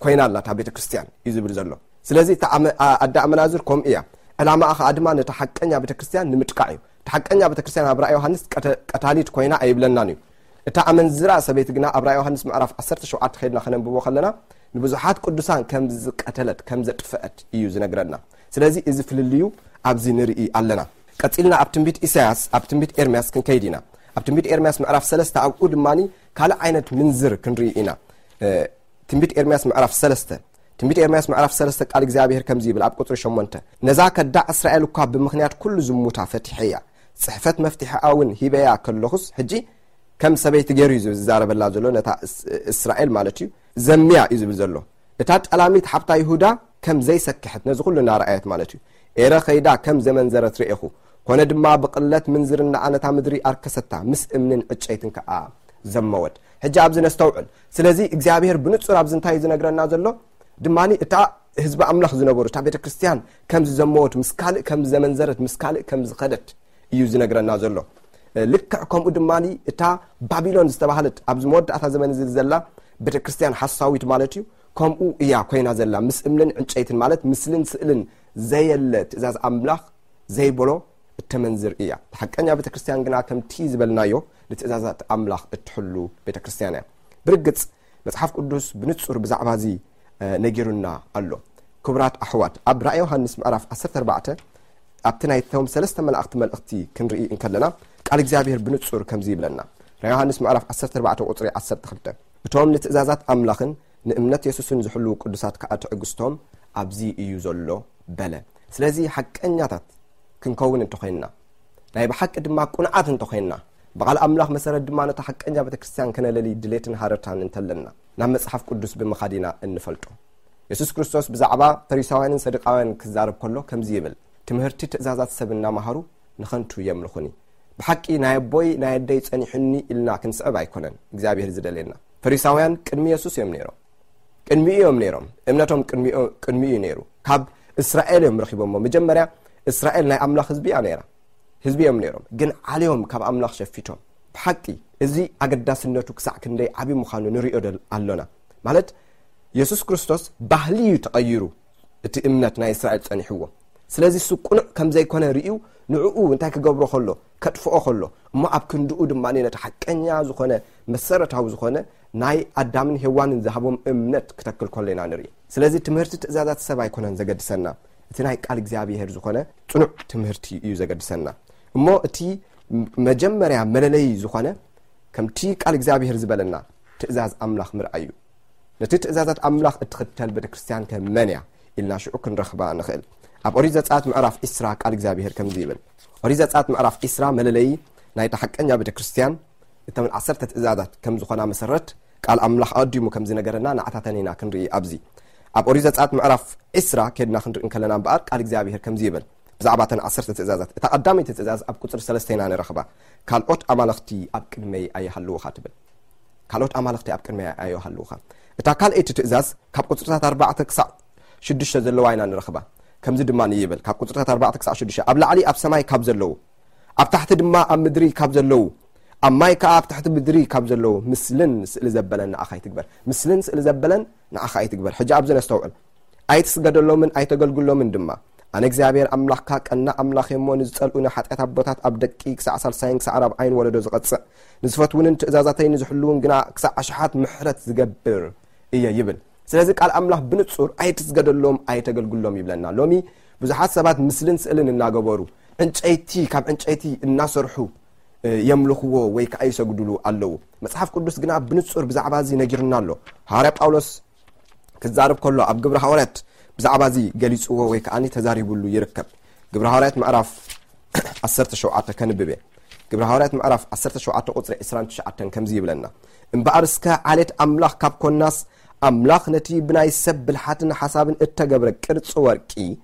ኮይና ኣላ እታ ቤተ ክርስቲያን እዩ ዝብል ዘሎ። ስለዚ እታ ኣመ-፣ ኣ-፣ ኣደ ኣመናዝር ከምኡ እያ። ዕላማኣ ኸኣ ድማ ነታ ሓቀኛ ቤተ ክርስቲያን ንምጥቃዕ እዩ። እታ ሓቀኛ ቤተ ክርስቲያን ኣብ ራእይ ዮሃንስ ቀተ-፣ ቀታሊት ኮይና ኣይብለናን እዩ። እታ ኣመንዝራ ሰበይቲ ግና ኣብ ራእይ ዮሃንስ ምዕራፍ ዓሰርተ ሸውዓተ ከይድና ከነንብቦ ከለና ንብዙሓት ቅዱሳን ከም ዝቀተለት፣ ከም ዘጥፍአት እዩ ዝነግረና። ስለዚ እዚ ፍልልዩ ኣብዚ ንርኢ ኣለና። ቀጺልና ኣብ ትንቢት ኢሳያስ፣ ኣብ ትንቢት ኤርምያስ ክንከይድ ኢና። ኣብ ትንቢት ኤርምያስ ምዕራፍ ሰለስተ ኣብኡ ድማኒ ካልእ ዓይነት ምንዝር ክንርኢ ኢና። እ፣ ትንቢት ኤርምያስ ምዕራፍ ሰለስተ። ትንቢት ኤርምያስ ምዕራፍ ሰለስተ ቃል እግዚኣብሔር ከምዚ ይብል ኣብ ቁጽሪ ሸሞንተ፣ "ነዛ ከዳዕ እስራኤል እኳ ብምኽንያት ኩሉ ዝሙታ ፈቲሐያ፣ ጽሕፈት መፍትሒኣ እውን ሂበያ ከለኹስ፣ ሕጂ ከም ሰበይቲ ገይሩ እዩ ዝዛረበላ ዘሎ፣ ነታ እስ-፣ እስራኤል ማለት እዩ፣ ዘምያ እዩ ዝብል ዘሎ። እታ ጠላሚት ሓብታ ይሁዳ ከም ዘይሰክሐት ነዚ ኩሉ እናረኣየት ማለት እዩ፣ ኤረ ኸይዳ ከም ዘመንዘረት ርኤኹ። ኮነ ድማ ብቕለት ምንዝርናኣ ነታ ምድሪ ኣርከሰታ፣ ምስ እምንን ዕጨይትን ከኣ ዘመወት." ሕጂ ኣብዚ ነስተውዕል። ስለዚ እግዚኣብሔር ብንጹር ኣብዚ እንታይ እዩ ዝነግረና ዘሎ? ድማኒ እታ ህዝቢ ኣምላኽ ዝነበሩ፣ እታ ቤተ ክርስቲያን ከም ዝዘመወት፣ ምስ ካልእ ከም ዘመንዘረት፣ ምስ ካልእ ከም ዝኸደት እዩ ዝነግረና ዘሎ። ልክዕ ከምኡ ድማኒ እታ ባቢሎን ዝተባህለት ኣብዚ መወዳእታ ዘመን እዚ ዘላ ቤተ ክርስቲያን ሓሳዊት ማለት እዩ፣ ከምኡ እያ ኮይና ዘላ። ምስ እምንን ዕንጨይትን ማለት ምስልን ስእልን ዘየለ ትእዛዝ ኣምላኽ ዘይበሎ እተመንዝር እያ። ሓቀኛ ቤተ ክርስቲያን ግና ከምቲ ዝበልናዮ ንትእዛዛት ኣምላኽ እትሕሉ ቤተ ክርስቲያን እያ። ብርግጽ መጽሓፍ ቅዱስ ብንጹር ብዛዕባ እዚ፣ እ፣ ነጊሩና ኣሎ። ክቡራት ኣሕዋት፣ ኣብ ራእይ ዮሃንስ ምዕራፍ ዓሰርተ ኣርባዕተ ኣብቲ ናይቶም ሰለስተ መላእኽቲ መልእኽቲ ክንርኢ እንከለና ቃል እግዚኣብሔር ብንጹር ከምዚ ይብለና። ራእይ ዮሃንስ ምዕራፍ ዓሰርተ ኣርባዕተ ቁጽሪ ዓሰርተ ክልተ፣ "እቶም ንትእዛዛት ኣምላኽን ንእምነት የሱስን ዝሕልዉ ቅዱሳት ከኣ ትዕግስቶም ኣብዚ እዩ ዘሎ" በለ። ስለዚ ሓቀኛታት ክንከውን እንተኾይንና፣ ናይ ብሓቂ ድማ ቁንዓት እንተኾይንና፣ ብቓል ኣምላኽ መሰረት ድማ ነታ ሓቀኛ ቤተ ክርስቲያን ከነለሊ ድሌትን ሃረርታን እንተለና፣ ናብ መጽሓፍ ቅዱስ ብምኻድ ኢና እንፈልጦ። የሱስ ክርስቶስ ብዛዕባ ፈሪሳውያንን ሰዱቃውያንን ክዛረብ ከሎ ከምዚ ይብል፣ "ትምህርቲ ትእዛዛት ሰብ እናመሃሩ ንኸንቱ የምልኹኒ። ብሓቂ ናይ ኣቦይ ናይ ኣደይ ጸኒሑኒ ኢልና ክንስዕብ ኣይኮነን እግዚኣብሔር ዝደልየና።" ፈሪሳውያን ቅድሚ የሱስ እዮም ነይሮም። ቅድሚኡ እዮም ነይሮም። እምነቶም ቅድሚኡ፣ ቅድሚኡ እዩ ነይሩ። ካብ እስራኤል እዮም ረኺቦሞ። መጀመርያ እስራኤል ናይ ኣምላኽ ህዝቢ እያ ነይራ። ህዝቢ እዮም ነይሮም። ግን ዓልዮም ካብ ኣምላኽ ሸፊቶም። ብሓቂ እዚ ኣገዳስነቱ ክሳዕ ክንደይ ዓቢ ምዃኑ ንሪኦ ደል-፣ ኣሎና። ማለት የሱስ ክርስቶስ ባህሊ እዩ ተቐይሩ። እቲ እምነት ናይ እስራኤል ጸኒሕዎ። ስለዚ እሱ ቅኑዕ ከም ዘይኮነ ርእዩ ንዕኡ እንታይ ክገብሮ ከሎ፣ ከጥፍኦ ከሎ፣ እሞ ኣብ ክንድኡ ድማ ነቲ ሓቀኛ ዝኾነ መሰረታዊ ዝኾነ ናይ ኣዳምን ሄዋንን ዝሃቦም እምነት ክተክል ከሎ ኢና ንርኢ። ስለዚ ትምህርቲ ትእዛዛት ሰብ ኣይኮነን ዘገድሰና፣ እቲ ናይ ቃል እግዚኣብሔር ዝኾነ ጽኑዕ ትምህርቲ እዩ ዘገድሰና። እሞ እቲ መጀመርያ መለለዪ ዝኾነ ከምቲ ቃል እግዚኣብሔር ዝበለና ትእዛዝ ኣምላኽ ምርኣይ እዩ። ነቲ ትእዛዛት ኣምላኽ እትኽተል ቤተክርስትያን ከ መን እያ ኢልና ሽዑ ክንረኽባ ንኽእል። ኣብ ኦሪት ዘጸኣት ምዕራፍ ዒስራ ቃል እግዚኣብሔር ከምዚ ይብል። ኦሪት ዘጸኣት ምዕራፍ ዒስራ መለለዪ ናይታ ሓቀኛ ቤተክርስትያን፣ እተን ዓሰርተ ትእዛዛት ከም ዝኾና መሰረት ቃል ኣምላኽ ኣቐዲሙ ከም ዝነገረና ንዓታተን ኢና ክንርኢ ኣብዚ። ኣብ ኦሪት ዘጸኣት ምዕራፍ ዒስራ ኬድና ክንርኢ እንከለና እምበኣር ቃል እግዚኣብሔር ከምዚ ይብል። ብዛዕባ እተን ዓሰርተ ትእዛዛት፣ እታ ቀዳመይቲ ትእዛዝ ኣብ ቁጽሪ ሰለስተ ኢና ንረኽባ። "ካልኦት ኣማልኽቲ ኣብ ቅድመይ ኣይሃልውኻ" ትብል። "ካልኦት ኣማልኽቲ ኣብ ቅድመይ ኣይሃልውኻ።" እታ ካልኣይቲ ትእዛዝ ካብ ቁጽርታት ኣርባዕተ ክሳዕ ሽዱሽተ ዘለዋ ኢና ንረኽባ። ከምዚ ድማ ይብል፣ ካብ ቁጽርታት ኣርባዕተ ክሳዕ ሽዱሽተ፣ "ኣብ ላዕሊ ኣብ ሰማይ ካብ ዘለዉ፣ ኣብ ታሕቲ ድማ ኣብ ምድሪ ካብ ዘለዉ፣ ኣብ ማይ ከኣ ኣብ ትሕቲ ምድሪ ካብ ዘለዉ ምስልን ስእሊ ዘበለን ንኣኻ ኣይትግበር።" ምስልን ስእሊ ዘበለን ንኣኻ ኣይትግበር። ሕጂ ኣብዚ ነስተውዕል። "ኣይትስገደሎምን ኣይተገልግሎምን ድማ፣ ኣነ እግዚኣብሔር ኣምላኽካ ቀና ኣምላኽ እየ እሞ፣ ንዝጸልኡኒ ሓጢኣት ኣቦታት ኣብ ደቂ ክሳዕ ሳልሳይን ክሳዕ ራብዓይን ወለዶ ዝቐጽዕ፣ ንዝፈትውንን ትእዛዛተይ ንዝሕልውን ግና ክሳዕ ኣሽሓት ምሕረት ዝገብር እየ ይብል። ስለዚ ቃል ኣምላኽ ብንጹር ኣይትስገደሎም፣ ኣይተገልግሎም ይብለና። ሎሚ ብዙሓት ሰባት ምስልን ስእልን እናገበሩ፣ ዕንጨይቲ፣ ካብ ዕንጨይቲ እናሰርሑ፣ እ፣ የምልኽዎ ወይ ከዓ ይሰግዱሉ ኣለዉ። መጽሓፍ ቅዱስ ግና ብንጹር ብዛዕባ እዚ ነጊሩና ኣሎ። ሃዋርያ ጳውሎስ ክዛረብ ከሎ ኣብ ግብሪ ሃዋርያት ብዛዕባ እዚ ገሊጽዎ ወይ ከዓ ተዛሪቡሉ ይርከብ። ግብሪ ሃዋርያት ምዕራፍ ዓሰርተ ሸውዓተ ከንብብ እየ። ግብሪ ሃዋርያት ምዕራፍ ዓሰርተ ሸውዓተ ቁጽሪ ዕስራን ትሽዓተን ከምዚ ይብለና፣ እምበኣር እስከ ዓሌት ኣምላኽ ካብ ኮናስ፣ ኣምላኽ ነቲ ብናይ ሰብ ብልሓትን ሓሳብን እተገብረ ቅርጺ ወርቂ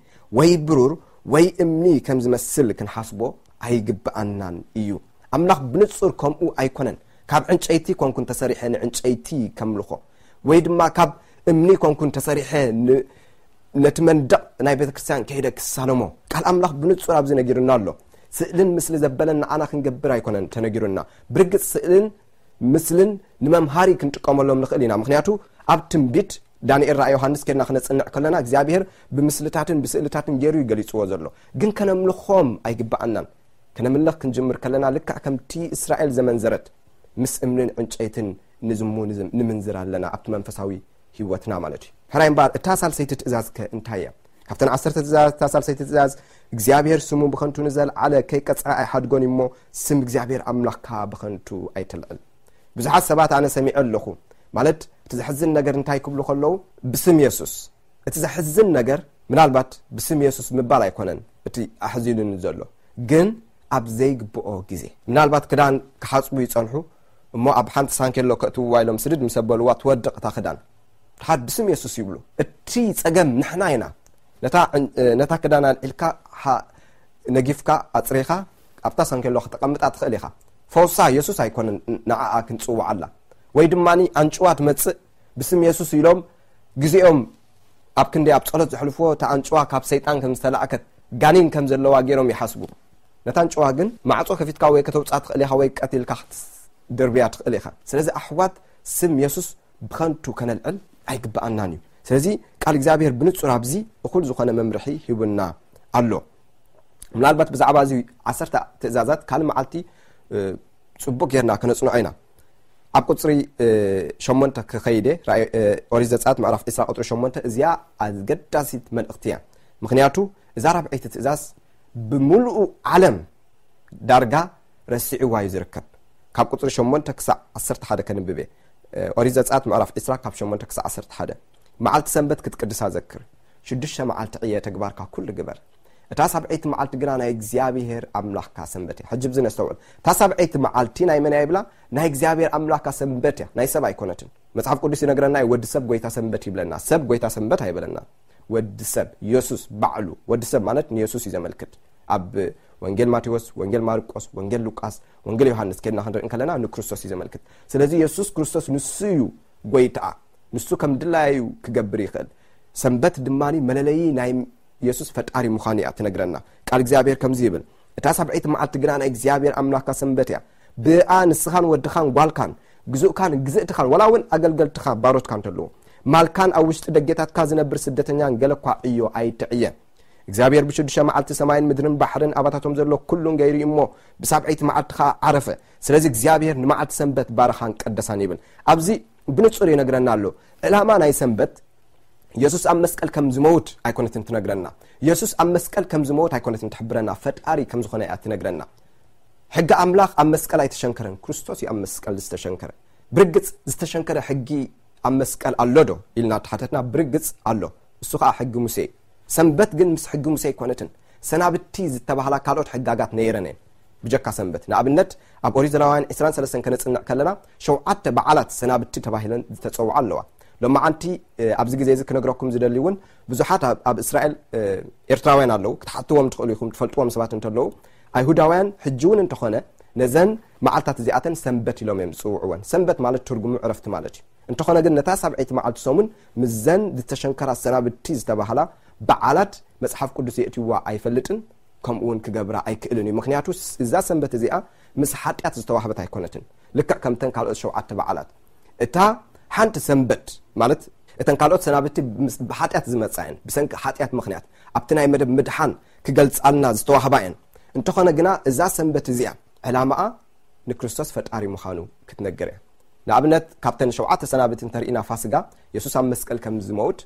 ወይ ብሩር ወይ እምኒ ከም ዝመስል ክንሓስቦ ኣይግብኣናን እዩ። ኣምላኽ ብንጹር ከምኡ ኣይኮነን። ካብ ዕንጨይቲ ኮንኩን ተሰሪሐ ንዕንጨይቲ ከምልኾ፣ ወይ ድማ ካብ እምኒ ኮንኩን ተሰሪሐ ን-፣ ነቲ መንደቕ ናይ ቤተ ክርስቲያን ከይደ ክሳለሞ። ቃል ኣምላኽ ብንጹር ኣብዚ ነጊሩና ኣሎ። ስእልን ምስሊ ዘበለን ንዓና ክንገብር ኣይኮነን ተነጊሩና። ብርግጽ ስእልን ምስልን ንመምሃሪ ክንጥቀመሎም ንኽእል ኢና። ምኽንያቱ ኣብ ትንቢት ዳንኤል ራእይ ዮሃንስ ኬድና ክነጽንዕ ከለና እግዚኣብሔር ብምስልታትን ብስእልታትን ገይሩ እዩ ገሊጽዎ ዘሎ። ግን ከነምልኾም ኣይግብኣናን። ከነምልኽ ክንጅምር ከለና ልክዕ ከምቲ እስራኤል ዘመንዘረት ምስ እምንን ዕንጨይትን ንዝሙ ንዝም-፣ ንምንዝር ኣለና ኣብቲ መንፈሳዊ ህይወትና ማለት እዩ። ሕራይ እምበኣር እታ ሳልሰይቲ ትእዛዝ ከ እንታይ እያ? ካብተን ዓሰርተ ትእዛዝ እታ ሳልሰይቲ ትእዛዝ እግዚኣብሔር ስሙ ብኸንቱ ንዘለዓለ ከይቀጽዐ ኣይሓድጎን እዩ እሞ ስም እግዚኣብሔር ኣምላኽካ ብኸንቱ ኣይተልዕል። ብዙሓት ሰባት ኣነ ሰሚዐ ኣለኹ፣ ማለት እቲ ዘሕዝን ነገር እንታይ ክብሉ ከለዉ፣ ብስም የሱስ። እቲ ዘሕዝን ነገር ምናልባት ብስም የሱስ ምባል ኣይኮነን እቲ ኣሕዚኑኒ ዘሎ፣ ግን ኣብ ዘይግብኦ ግዜ ምናልባት ክዳን ክሓጽቡ ይጸንሑ እሞ ኣብ ሓንቲ ሳንኬሎ ከእትውዋ ኢሎም ስድድ ምስ ኣበልዋ ትወድቕ እታ ክዳን። ድሓር ብስም የሱስ ይብሉ። እቲ ጸገም ንሕና ኢና። ነታ ዕን-፣ ነታ ክዳን ኣልዒልካ ሓ-፣ ነጊፍካ ኣጽሪኻ ኣብታ ሳንኬሎ ከተቐምጣ ትኽእል ኢኻ። ፈውሳ የሱስ ኣይኮነን ንዓኣ ክንጽውዓላ። ወይ ድማ ኣንጭዋ ትመጽእ ብስም የሱስ ኢሎም ግዜኦም ኣብ ክንዲ ኣብ ጸሎት ዘሕልፍዎ እታ ኣንጭዋ ካብ ሰይጣን ከም ዝተላእከት ጋኔን ከም ዘለዋ ገይሮም ይሓስቡ። ነታ ኣንጭዋ ግን ማዕጾ ከፊትካ ወይ ከተውጽኣ ትኽእል ኢኻ ወይ ቀቲልካ ክትድርብያ ትኽእል ኢኻ። ስለዚ ኣሕዋት ስም የሱስ ብኸንቱ ከነልዕል ኣይግብኣናን እዩ። ስለዚ ቃል እግዚኣብሔር ብንጹር ኣብዚ እኹል ዝኾነ መምርሒ ሂቡና ኣሎ። ምናልባት ብዛዕባ እዚ ዓሰርተ ትእዛዛት ካልእ መዓልቲ፣ እ፣ ጽቡቕ ጌርና ከነጽንዖ ኢና። ኣብ ቁጽሪ፣ እ፣ ሸሞንተ ክኸይድ እየ። ራእይ፣ እ፣ ኦሪት ዘጸኣት ምዕራፍ ዕስራ ቁጽሪ ሸሞንተ እዚኣ ኣገዳሲት መልእኽቲ እያ። ምኽንያቱ እዛ ራብዐይቲ ትእዛዝ ብምሉኡ ዓለም ዳርጋ ረሲዕዋ እዩ ዝርከብ። ካብ ቁጽሪ ሸሞንተ ክሳዕ ዓሰርተ ሓደ ከንብብ እየ። እ፣ ኦሪት ዘጸኣት ምዕራፍ ዕስራ ካብ ሸሞንተ ክሳዕ ዓሰርተ ሓደ። መዓልቲ ሰንበት ክትቅድሳ ዘክር። ሽዱሽተ መዓልቲ ዕየ ተግባርካ ኩሉ ግበር። እታ ሳብዐይቲ መዓልቲ ግና ናይ እግዚኣብሔር ኣምላኽካ ሰንበት እያ። ሕጂ ብዚ ነስተውዕል። እታ ሳብዐይቲ መዓልቲ ናይ መን እያ ይብላ? ናይ እግዚኣብሔር ኣምላኽካ ሰንበት እያ፣ ናይ ሰብ ኣይኮነትን። መጽሓፍ ቅዱስ ይነግረና እዩ፣ ወዲ ሰብ ጎይታ ሰንበት ይብለና። ሰብ ጎይታ ሰንበት ኣይበለና። ወዲ ሰብ፣ የሱስ ባዕሉ፣ ወዲ ሰብ ማለት ንየሱስ እዩ ዘመልክት። ኣብ ወንጌል ማቴዎስ፣ ወንጌል ማርቆስ፣ ወንጌል ሉቃስ፣ ወንጌል ዮሃንስ ኬድና ክንርኢ እንከለና ንክርስቶስ እዩ ዘመልክት። ስለዚ የሱስ ክርስቶስ ንሱ እዩ ጎይታኣ። ንሱ ከም ድላዩ ክገብር ይኽእል። ሰንበት ድማ መለለዪ ናይ የሱስ ፈጣሪ ምዃኑ እያ ትነግረና። ቃል እግዚኣብሔር ከምዚ ይብል፣ እታ ሳብዐይቲ መዓልቲ ግና ናይ እግዚኣብሔር ኣምላኽካ ሰንበት እያ። ብኣ ንስኻን ወድኻን ጓልካን፣ ግዙእካን ግዝእትኻን፣ ዋላ እውን ኣገልገልትኻ ባሮትካ እንተለዉ፣ ማልካን ኣብ ውሽጢ ደጌታትካ ዝነብር ስደተኛን ገለ እኳ ዕዮ ኣይትዕየ። እግዚኣብሔር ብሽዱሽተ መዓልቲ ሰማይን ምድርን ባሕርን ኣባታቶም ዘሎ ኩሉን ገይሩ እዩ እሞ፣ ብሳብዐይቲ መዓልቲ ኸዓ ዓረፈ። ስለዚ እግዚኣብሔር ንመዓልቲ ሰንበት ባረኻን ቀደሳን ይብል። ኣብዚ ብንጹር ይነግረና ኣሎ። ዕላማ ናይ ሰንበት የሱስ ኣብ መስቀል ከም ዝመውት ኣይኮነትን ትነግረና። የሱስ ኣብ መስቀል ከም ዝመውት ኣይኮነትን ትሕብረና፣ ፈጣሪ ከም ዝኾነ እያ ትነግረና። ሕጊ ኣምላኽ ኣብ መስቀል ኣይተሸንከረን፣ ክርስቶስ እዩ ኣብ መስቀል ዝተሸንከረ። ብርግጽ ዝተሸንከረ ሕጊ ኣብ መስቀል ኣሎ ዶ ኢልና ተሓተትና፣ ብርግጽ ኣሎ። እሱ ኸኣ ሕጊ ሙሴ እዩ። ሰንበት ግን ምስ ሕጊ ሙሴ ኣይኮነትን። ሰናብቲ ዝተባህላ ካልኦት ሕጋጋት ነይረን እየን ብጀካ ሰንበት። ንኣብነት ኣብ ኦሪት ዘሌዋውያን ዕስራን ሰለስተን ከነጽንዕ ከለና ሸውዓተ በዓላት ሰናብቲ ተባሂለን ዝተጸውዓ ኣለዋ። ሎማዓንቲ፣ እ፣ ኣብዚ ግዜ እዚ ክነግረኩም ዝደሊ እውን ብዙሓት ኣብ፣ ኣብ እስራኤል፣ እ፣ ኤርትራውያን ኣለዉ፣ ክትሓትዎም ትኽእሉ ኢኹም፣ ትፈልጥዎም ሰባት እንተለዉ። ኣይሁዳውያን ሕጂ እውን እንተኾነ ነዘን መዓልታት እዚኣተን ሰንበት ኢሎም እዮም ዝጽውዕወን። ሰንበት ማለት ትርጉሙ ዕረፍቲ ማለት እዩ። እንተኾነ ግን ነታ ሳብዐይቲ መዓልቲ ሰሙን ምስዘን ዝተሸንከራ ሰናብቲ ዝተባህላ በዓላት መጽሓፍ ቅዱስ የእትይዋ ኣይፈልጥን፣ ከምኡ እውን ክገብራ ኣይክእልን እዩ። ምኽንያቱ ስ-፣ እዛ ሰንበት እዚኣ ምስ ሓጢኣት ዝተዋህበት ኣይኮነትን። ልክዕ ከምተን ካልኦት ሸውዓተ በዓላት። እታ ሓንቲ ሰንበት ማለት እተን ካልኦት ሰናብቲ ምስ ብሓጢኣት ዝመጻ እየን፣ ብሰንኪ ሓጢኣት ምኽንያት ኣብቲ ናይ መደብ ምድሓን ክገልጻልና ዝተዋህባ እየን። እንተኾነ ግና እዛ ሰንበት እዚኣ ዕላማኣ ንክርስቶስ ፈጣሪ ምዃኑ ክትነግር እያ። ንኣብነት ካብተን ሸውዓተ ሰናብቲ እንተርኢና ፋስጋ የሱስ ኣብ መስቀል ከም ዝመውት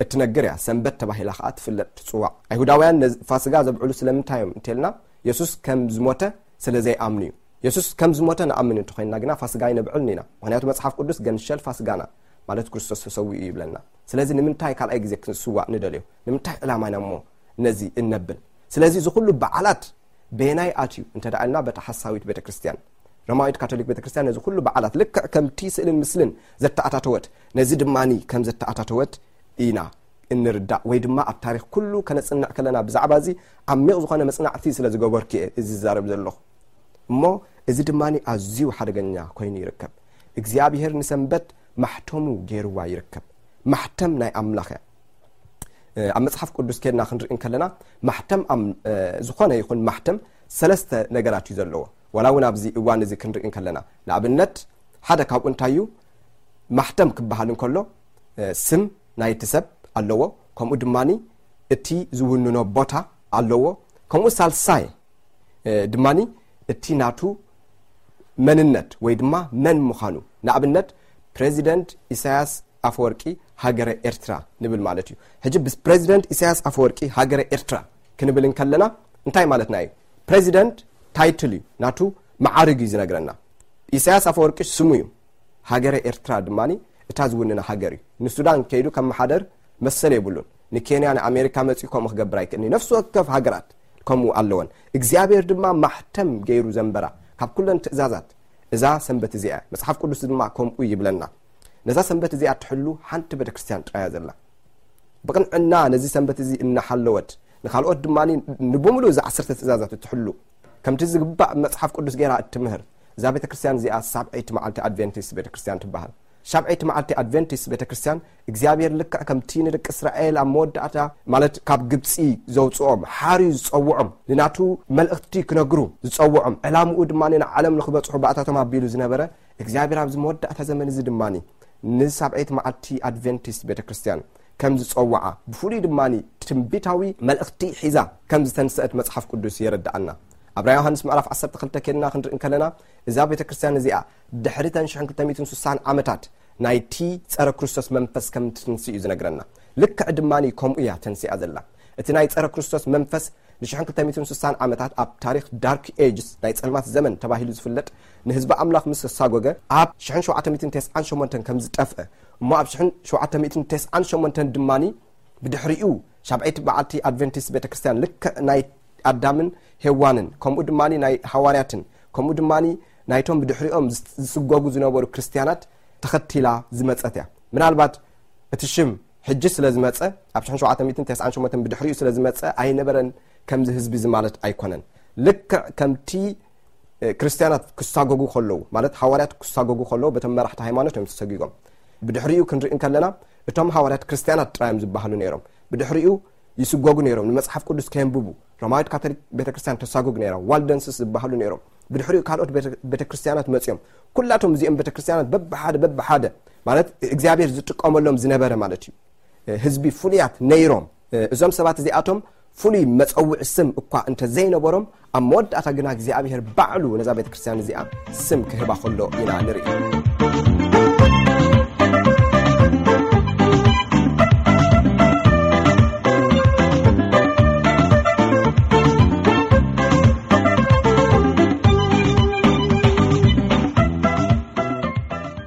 እትነግር እያ። ሰንበት ተባሂላ ከኣ ትፍለጥ ትጽዋዕ። ኣይሁዳውያን ነዚ ፋስጋ ዘብዕሉ ስለምንታይ እዮም እንተልና የሱስ ከም ዝሞተ ስለ ዘይኣምኑ እዩ። የሱስ ከም ዝሞተ ንኣምን እንተኾይንና ግና ፋስጋ ኣይነብዕልን ኢና። ምኽንያቱ መጽሓፍ ቅዱስ ገንሸል ፋስጋና ማለት ክርስቶስ ተሰዊኡ እዩ ይብለና። ስለዚ ንምንታይ ካልኣይ ግዜ ክንስዋእ ንደልዮ? ንምንታይ ዕላማ ኢና እሞ ነዚ እነብል? ስለዚ እዚ ኩሉ በዓላት በየናይ ኣትዩ እንተ ደኣ ኢልና በታ ሓሳዊት ቤተክርስትያን፣ ሮማዊት ካቶሊክ ቤተክርስትያን ነዚ ኩሉ በዓላት ልክዕ ከምቲ ስእልን ምስልን ዘተኣታተወት ነዚ ድማኒ ከም ዘተኣታተወት ኢና እንርዳእ። ወይ ድማ ኣብ ታሪኽ ኩሉ ከነጽንዕ ከለና ብዛዕባ እዚ ዓሚቕ ዝኾነ መጽናዕቲ ስለ ዝገበርኩ እየ እዚ ዝዛረብ ዘለኹ። እሞ እዚ ድማ ኣዝዩ ሓደገኛ ኮይኑ ይርከብ። እግዚኣብሔር ንሰንበት ማሕተሙ ገይርዋ ይርከብ። ማሕተም ናይ ኣምላኽ እያ። ኣብ መጽሓፍ ቅዱስ ከድና ክንርኢ እንከለና ማሕተም ዝኾነ ይኹን ማሕተም ሰለስተ ነገራት እዩ ዘለዎ። ዋላ እውን ኣብዚ እዋን እዚ ክንርኢ እንከለና ንኣብነት ሓደ ካብኡ እንታይ እዩ? ማሕተም ክበሃል እንከሎ ስም ናይቲ ሰብ ኣለዎ። ከምኡ ድማ እቲ ዝውንኖ ቦታ ኣለዎ። ከምኡ ሳልሳይ ድማ እቲ ናቱ መንነት ወይ ድማ መን ምዃኑ፣ ንኣብነት ፕሬዚደንት ኢሳያስ ኣፈወርቂ ሃገረ ኤርትራ ንብል ማለት እዩ። ሕጂ ብፕሬዚደንት ኢሳያስ ኣፈወርቂ ሃገረ ኤርትራ ክንብል እንከለና እንታይ ማለትና እዩ? ፕሬዚደንት ታይትል እዩ፣ ናቱ መዓርግ እዩ ዝነግረና። ኢሳያስ ኣፈወርቂ ስሙ እዩ። ሃገረ ኤርትራ ድማ እታ ዝውንና ሃገር እዩ። ንሱዳን ከይዱ ከመሓደር መሰል የብሉን። ንኬንያ ንኣሜሪካ መጺኡ ከምኡ ክገብር ኣይክእልን። ነፍሲ ወከፍ ሃገራት ከምኡ ኣለወን። እግዚኣብሔር ድማ ማሕተም ገይሩ ዘንበራ ካብ ኩለን ትእዛዛት እዛ ሰንበት እዚኣ። መጽሓፍ ቅዱስ ድማ ከምኡ ይብለና። ነዛ ሰንበት እዚኣ ትሕሉ ሓንቲ ቤተክርስትያን ጥራያ ዘላ። ብቕንዕና ነዚ ሰንበት እዚ እናሓለወት ንኻልኦት ድማ ንብምሉእ እዛ ዓሰርተ ትእዛዛት እትሕሉ ከምቲ ዝግባእ መጽሓፍ ቅዱስ ገይራ እትምህር እዛ ቤተክርስትያን እዚኣ ሳብዐይቲ መዓልቲ ኣድቬንቲስት ቤተክርስትያን ትበሃል። ሻብዐይቲ መዓልቲ ኣድቬንቲስት ቤተክርስትያን እግዚኣብሔር ልክዕ ከምቲ ንደቂ እስራኤል ኣብ መወዳእታ ማለት ካብ ግብፂ ዘውፅኦም ሓርዩ ዝፀውዖም ንናቱ መልእኽቲ ክነግሩ ዝፀውዖም ዕላምኡ ድማ ንዓለም ንክበፅሑ ባእታቶም ኣቢሉ ዝነበረ እግዚኣብሔር ኣብዚ መወዳእታ ዘመን እዚ ድማ ንሳብዐይቲ መዓልቲ ኣድቬንቲስት ቤተክርስትያን ከም ዝጸውዓ ብፍሉይ ድማ ትንቢታዊ መልእኽቲ ሒዛ ከም ዝተንስአት መጽሓፍ ቅዱስ የረድኣና። ኣብ ራእይ ዮሃንስ ምዕራፍ ዓሰርተ ክልተ ኬድና ክንርኢ እንከለና እዛ ቤተ ክርስቲያን እዚኣ ድሕሪ ተን ሽሕን ክልተ ሚእትን ስሳን ዓመታት ናይቲ ጸረ ክርስቶስ መንፈስ ከም ትንስእ እዩ ዝነግረና። ልክዕ ድማ ከምኡ እያ ተንስኣ ዘላ። እቲ ናይ ጸረ ክርስቶስ መንፈስ ንሽሕን ክልተ ሚእትን ስሳን ዓመታት ኣብ ታሪኽ ዳርክ ኤጅስ ናይ ጸልማት ዘመን ተባሂሉ ዝፍለጥ ንህዝቢ ኣምላኽ ምስ ተሳጎገ ኣብ ሽሕን ሸውዓተ ሚእትን ተስዓን ሸሞንተን ከም ዝጠፍአ እሞ ኣብ ሽሕን ሸውዓተ ሚእትን ተስዓን ሸሞንተን ድማ ብድሕሪኡ ሻብዐይቲ በዓልቲ ኣድቨንቲስት ቤተ ክርስቲያን ልክዕ ናይ ኣዳምን ሄዋንን ከምኡ ድማ ናይ ሃዋርያትን ከምኡ ድማ ናይቶም ብድሕሪኦም ዝስጎጉ ዝነበሩ ክርስትያናት ተኸቲላ ዝመጸት እያ። ምናልባት እቲ ሽም ሕጂ ስለ ዝመጸ ኣብ ሽሕን ሸውዓተ ሚእትን ተስዓን ሸሞንተን ብድሕሪኡ ስለ ዝመጸ ኣይነበረን ከምዚ ህዝቢ እዚ ማለት ኣይኮነን። ልክዕ ከምቲ ክርስትያናት ክሳጎጉ ከለዉ ማለት ሃዋርያት ክሳጎጉ ከለዉ በቶም መራሕቲ ሃይማኖት እዮም ተሰጊጎም። ብድሕሪኡ ክንርኢ እንከለና እቶም ሃዋርያት ክርስትያናት ጥራይ እዮም ዝበሃሉ ነይሮም። ብድሕሪኡ ይስጎጉ ነይሮም። ንመጽሓፍ ቅዱስ ከየንብቡ ሮማዊት ካቶሊክ ቤተክርስትያን ተሳጉግ ነይራ። ዋልደንስስ ዝበሃሉ ነይሮም። ብድሕሪኡ ካልኦት ቤተክርስትያናት መጽዮም። ኩላቶም እዚኦም ቤተክርስትያናት በብሓደ በብሓደ ማለት እግዚኣብሔር ዝጥቀመሎም ዝነበረ ማለት እዩ ህዝቢ ፍሉያት ነይሮም። እዞም ሰባት እዚኣቶም ፍሉይ መጸውዒ ስም እኳ እንተ ዘይነበሮም ኣብ መወዳእታ ግና እግዚኣብሔር ባዕሉ ነዛ ቤተክርስትያን እዚኣ ስም ክህባ ከሎ ኢና ንርኢ።